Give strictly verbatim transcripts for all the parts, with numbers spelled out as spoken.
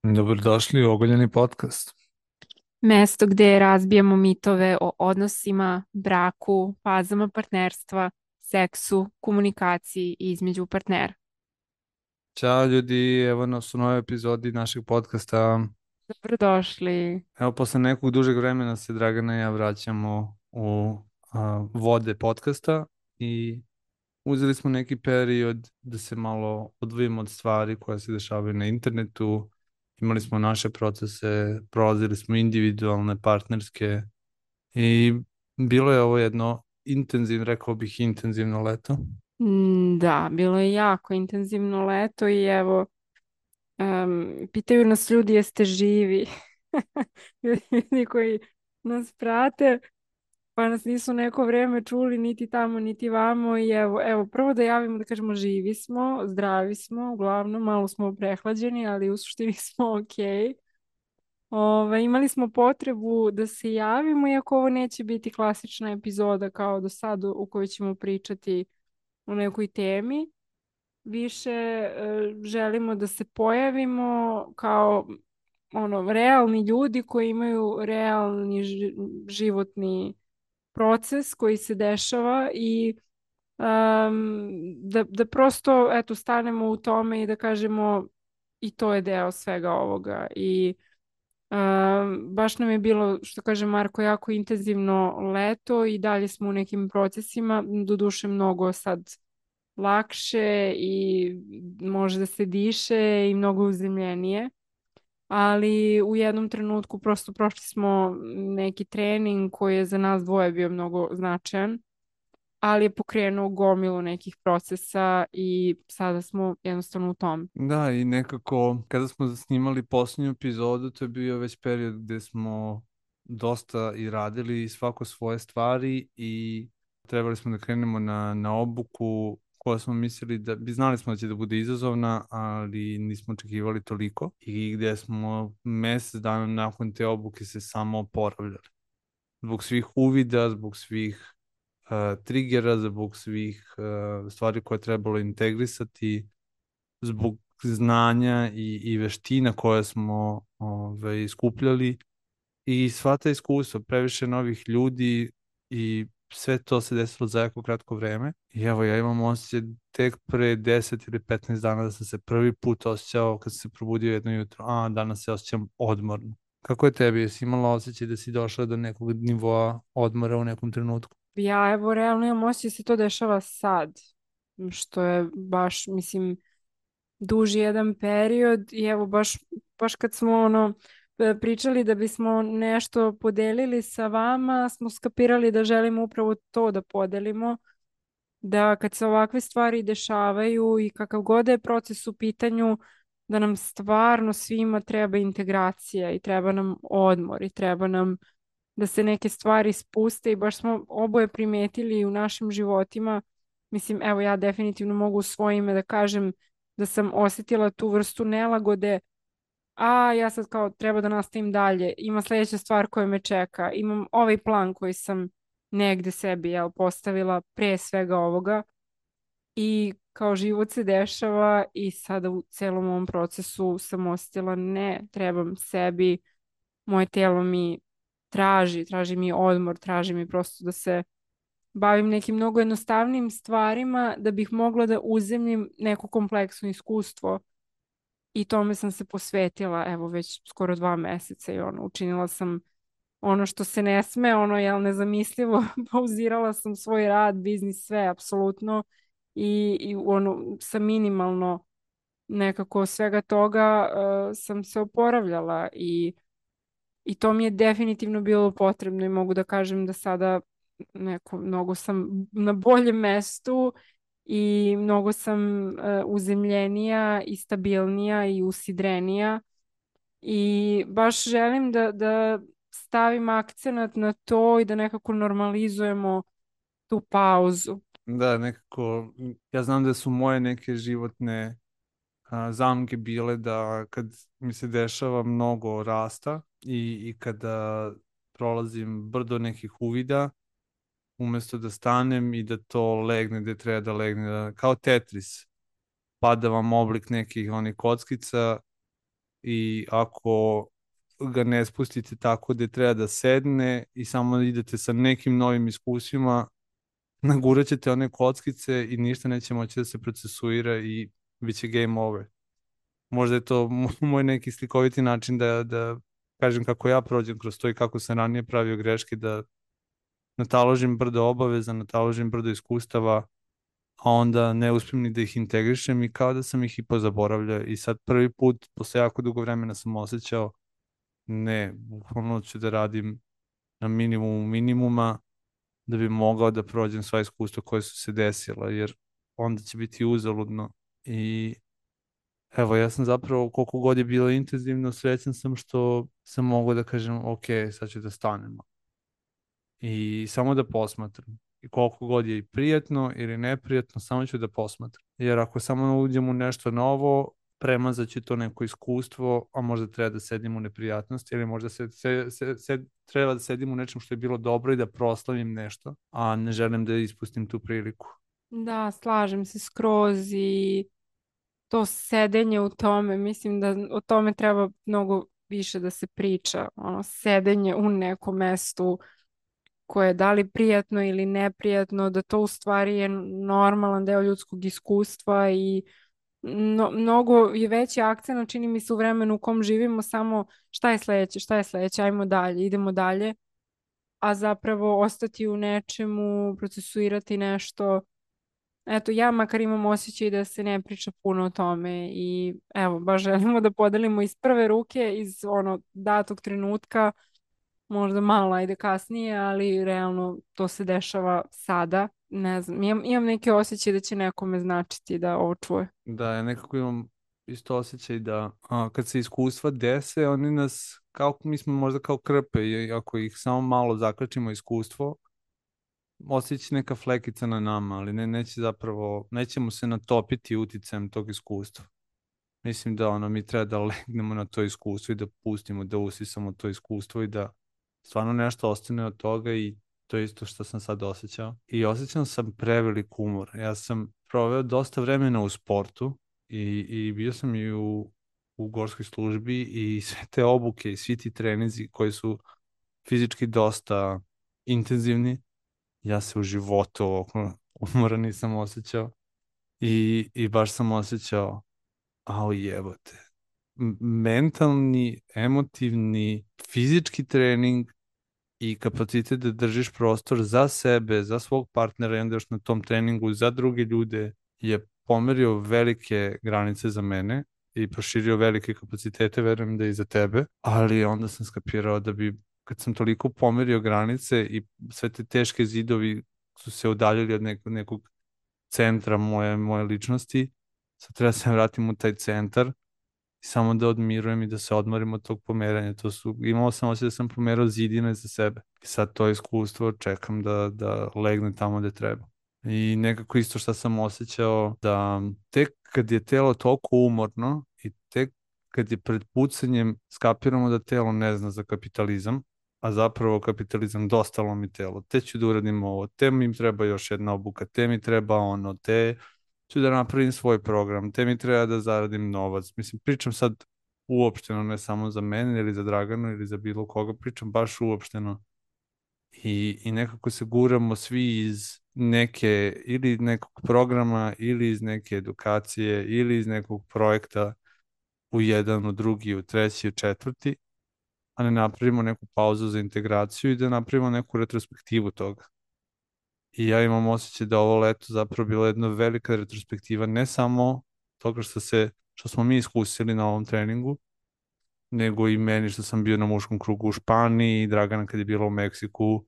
Dobrodošli u Ogoljeni podcast. Mesto gdje razbijamo mitove o odnosima, braku, fazama partnerstva, seksu, komunikaciji između partnera. Ćao ljudi, evo nas u novoj epizodi našeg podcasta. Dobrodošli. Evo, posle nekog dužeg vremena se Dragana i ja vraćamo u a, vode podcasta i uzeli smo neki period da se malo odvojimo od stvari koje se dešavaju na internetu. Imali smo naše procese, prolazili smo individualne, partnerske i bilo je ovo jedno intenzivno, rekao bih intenzivno leto. Mm, Da, bilo je jako intenzivno leto i evo, em, pitaju nas ljudi jeste živi. Ljudi koji nas prate, pa nas nisu neko vreme čuli niti tamo niti vamo i evo, evo prvo da javimo da kažemo živi smo, zdravi smo, uglavnom malo smo prehlađeni, ali u suštini smo okej. Ove, imali smo potrebu da se javimo, iako ovo neće biti klasična epizoda kao do sada u kojoj ćemo pričati o nekoj temi. Više e, želimo da se pojavimo kao ono realni ljudi koji imaju realni ži- životni proces koji se dešava i um, da, da prosto eto stanemo u tome i da kažemo i to je deo svega ovoga i um, baš nam je bilo, što kaže Marko, jako intenzivno leto i dalje smo u nekim procesima, doduše mnogo sad lakše i može da se diše i mnogo uzemljenije, ali u jednom trenutku prosto prošli smo neki trening koji je za nas dvoje bio mnogo značajan, ali je pokrenuo gomilu nekih procesa i sada smo jednostavno u tom. Da, i nekako kada smo snimali posljednju epizodu, to je bio već period gde smo dosta i radili svako svoje stvari i trebali smo da krenemo na, na obuku koja smo mislili da, bi znali smo da će da bude izazovna, ali nismo očekivali toliko i gde smo mesec dana nakon te obuke se samo oporavljali. Zbog svih uvida, zbog svih uh, trigera, zbog svih uh, stvari koje je trebalo integrisati, zbog znanja i, i veština koje smo ove, skupljali i sva ta iskustva, previše novih ljudi i sve to se desilo za jako kratko vreme. I evo, ja imam osjećaj tek pre deset ili petnaest dana da sam se prvi put osjećao kad sam se probudio jedno jutro, a danas se osjećam odmorno. Kako je tebi? Jesi imala osjećaj da si došla do nekog nivoa odmora u nekom trenutku? Ja evo realno imam osjećaj da se to dešava sad, što je baš, mislim, duži jedan period i evo baš, baš kad smo ono e, pričali da bismo nešto podelili sa vama, smo skapirali da želimo upravo to da podelimo, da kad se ovakve stvari dešavaju i kakav god da je proces u pitanju, da nam stvarno svima treba integracija i treba nam odmor i treba nam da se neke stvari spuste i baš smo oboje primetili u našim životima. Mislim, evo ja definitivno mogu u svoje ime da kažem da sam osjetila tu vrstu nelagode, a ja sad kao treba da nastavim dalje. Ima sljedeća stvar koja me čeka. Imam ovaj plan koji sam negde sebi jel, postavila pre svega ovoga i kao život se dešava i sada u celom ovom procesu sam osjetila ne, trebam sebi, moje telo mi traži, traži mi odmor, traži mi prosto da se bavim nekim mnogo jednostavnim stvarima da bih mogla da uzemljim neko kompleksno iskustvo i tome sam se posvetila evo već skoro dva meseca i ono, učinila sam ono što se ne sme, ono je nezamislivo, pauzirala sam svoj rad, biznis, sve, apsolutno i, i ono, sa minimalno nekako svega toga uh, sam se oporavljala i I to mi je definitivno bilo potrebno i mogu da kažem da sada neko, mnogo sam na boljem mestu i mnogo sam uh, uzemljenija i stabilnija i usidrenija i baš želim da, da stavim akcenat na to i da nekako normalizujemo tu pauzu. Da, nekako, ja znam da su moje neke životne a, zamke bile da kad mi se dešava mnogo rasta i, i kada prolazim brdo nekih uvida, umesto da stanem i da to legne gde treba da legne, da, kao Tetris, pada vam oblik nekih onih kockica i ako ga ne spustite tako da treba da sedne i samo idete sa nekim novim iskusima, nagurat ćete one kockice i ništa neće moći da se procesuira i bit će game over. Možda je to moj neki slikoviti način da, da kažem kako ja prođem kroz to i kako sam ranije pravio greške, da nataložim brdo obaveza, nataložim brdo iskustava, a onda ne uspijem ni da ih integrišem i kao da sam ih i pozaboravljao. I sad prvi put, posle jako dugo vremena sam osjećao, ne, bukvalno ću da radim na minimumu minimuma da bi mogao da prođem sva iskustva koje su se desila, jer onda će biti uzaludno. I evo, ja sam zapravo, koliko god je bilo intenzivno, srećan sam što sam mogao da kažem, ok, sad ću da stanemo. I samo da posmatram. I koliko god je i prijatno ili neprijatno, samo ću da posmatram. Jer ako samo uđem u nešto novo, premazat ću to neko iskustvo, a možda treba da sedim u neprijatnosti ili možda se, se, se, se, treba da sedim u nečem što je bilo dobro i da proslavim nešto, a ne želim da ispustim tu priliku. Da, slažem se skroz i to sedenje u tome, mislim da o tome treba mnogo više da se priča, ono sedenje u nekom mestu koje je da li prijatno ili neprijatno, da to u stvari je normalan deo ljudskog iskustva i no, mnogo je veći akcent, čini mi se u vremenu u kom živimo, samo šta je sledeće, šta je sledeće, ajmo dalje, idemo dalje, a zapravo ostati u nečemu, procesuirati nešto. Eto, ja makar imam osjećaj da se ne priča puno o tome i evo, baš želimo da podelimo iz prve ruke, iz ono datog trenutka, možda malo ajde kasnije, ali realno to se dešava sada. Ne znam, imam, imam neke osjećaje da će nekome značiti da ovo čuje. Da, ja nekako imam isto osjećaj da a, kad se iskustva dese, oni nas, kao mi smo možda kao krpe i ako ih samo malo zakačimo iskustvo, osjeća neka flekica na nama, ali ne, neće zapravo, nećemo se natopiti uticajem tog iskustva. Mislim da ono, mi treba da legnemo na to iskustvo i da pustimo, da usisamo to iskustvo i da stvarno nešto ostane od toga i to je isto što sam sad osjećao. I osjećam sam prevelik umor. Ja sam proveo dosta vremena u sportu i, i bio sam i u, u gorskoj službi i sve te obuke i svi ti trenizi koji su fizički dosta intenzivni, ja se u životu ovako umora nisam osjećao i, i baš sam osjećao, au jebote, M- mentalni, emotivni, fizički trening i kapacitet da držiš prostor za sebe, za svog partnera i onda još na tom treningu za druge ljude je pomerio velike granice za mene i proširio velike kapacitete, verujem da i za tebe, ali onda sam skapirao da bi, kad sam toliko pomerio granice i sve te teške zidovi su se udaljili od nekog, nekog centra moje, moje ličnosti, sad treba da se vratim u taj centar i samo da odmirujem i da se odmorim od tog pomeranja. To su, imao sam osjećaj da sam pomerao zidine za sebe. I sad to iskustvo čekam da, da legne tamo gde treba. I nekako isto što sam osjećao da tek kad je telo toliko umorno i tek kad je pred pucanjem skapiramo da telo ne zna za kapitalizam, a zapravo kapitalizam dosta lomi telo. Te ću da uradim ovo, te mi treba još jedna obuka, te mi treba ono, te ću da napravim svoj program, te mi treba da zaradim novac. Mislim, pričam sad uopšteno, ne samo za mene ili za Draganu ili za bilo koga, pričam baš uopšteno. I, i nekako se guramo svi iz neke, ili nekog programa, ili iz neke edukacije, ili iz nekog projekta u jedan, u drugi, u treći, u četvrti, a ne napravimo neku pauzu za integraciju i da napravimo neku retrospektivu toga. I ja imam osjećaj da ovo leto zapravo bila jedna velika retrospektiva, ne samo toga što se, što smo mi iskusili na ovom treningu, nego i meni što sam bio na muškom krugu u Španiji, Dragana kad je bila u Meksiku,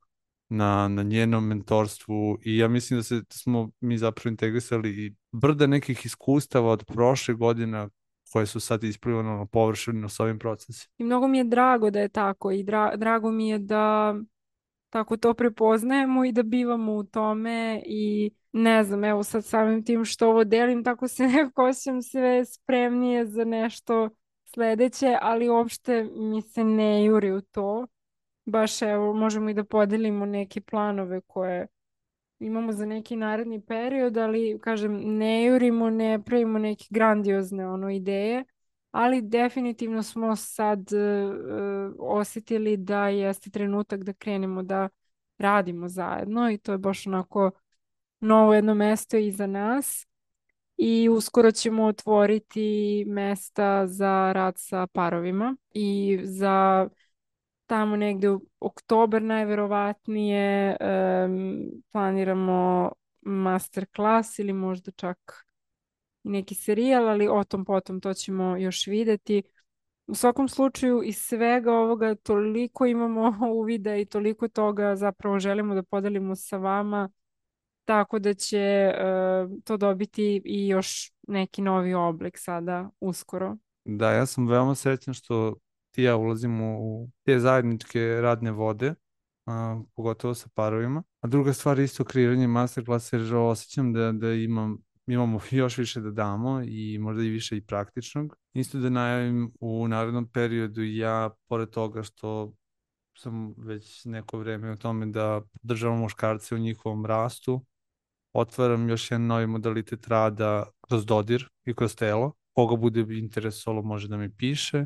na, na njenom mentorstvu i ja mislim da, se, da smo mi zapravo integrisali i brda nekih iskustava od prošle godina koje su sad isplivane na površinu s ovim procesima. I mnogo mi je drago da je tako i dra drago mi je da tako to prepoznajemo i da bivamo u tome i ne znam, evo sad samim tim što ovo delim, tako se nekako osjećam sve spremnije za nešto sledeće, ali uopšte mi se ne juri u to. Baš evo, možemo i da podelimo neke planove koje imamo za neki naredni period, ali kažem, ne jurimo, ne pravimo neke grandiozne ono ideje, ali definitivno smo sad e, osjetili da jeste trenutak da krenemo da radimo zajedno i to je baš onako novo jedno mesto iza nas i uskoro ćemo otvoriti mesta za rad sa parovima i za tamo negde u oktober najverovatnije em, planiramo master klas ili možda čak i neki serijal, ali o tom potom to ćemo još videti. U svakom slučaju iz svega ovoga toliko imamo uvida i toliko toga zapravo želimo da podelimo sa vama, tako da će e, to dobiti i još neki novi oblik sada uskoro. Da, ja sam veoma srećan što ti i ja ulazimo u te zajedničke radne vode, a, pogotovo sa parovima. A druga stvar je isto kreiranje masterklasa, jer osjećam da, da imam, imamo još više da damo i možda i više i praktičnog. Isto da najavim u narednom periodu ja, pored toga što sam već neko vreme u tome da podržavam muškarce u njihovom rastu, otvaram još jedan novi modalitet rada kroz dodir i kroz telo. Koga bude interesovalo može da mi piše.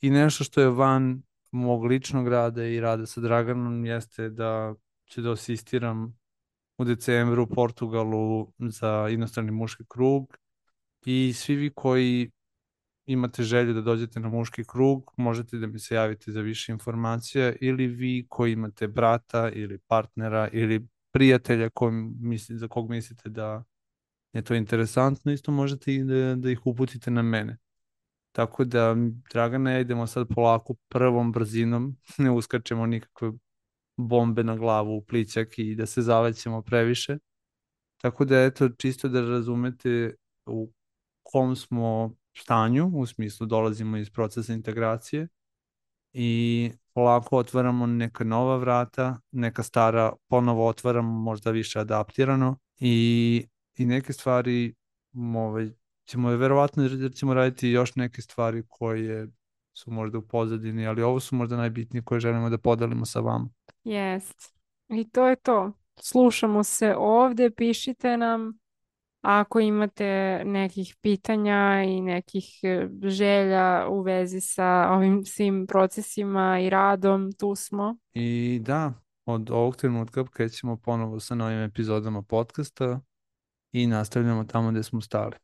I nešto što je van mog ličnog rada i rada sa Draganom jeste da ću da asistiram u decembru u Portugalu za inostrani muški krug i svi vi koji imate želju da dođete na muški krug, možete da mi se javite za više informacija ili vi koji imate brata ili partnera ili prijatelja koji misli, za kog mislite da je to interesantno, isto možete i da, da ih uputite na mene. Tako da, Dragana, ja idemo sad polako prvom brzinom, ne uskačemo nikakve bombe na glavu u plićak i da se zalećemo previše. Tako da, eto, čisto da razumete u kom smo stanju, u smislu dolazimo iz procesa integracije i polako otvaramo neka nova vrata, neka stara ponovo otvaramo, možda više adaptirano i, i neke stvari ovaj, ćemo je verovatno jer ćemo raditi još neke stvari koje su možda u pozadini, ali ovo su možda najbitnije koje želimo da podelimo sa vama. Jest. I to je to. Slušamo se ovdje, pišite nam. Ako imate nekih pitanja i nekih e, želja u vezi sa ovim svim procesima i radom, tu smo. I da, od ovog trenutka krećemo ponovo sa novim epizodama podcasta i nastavljamo tamo gde smo stali.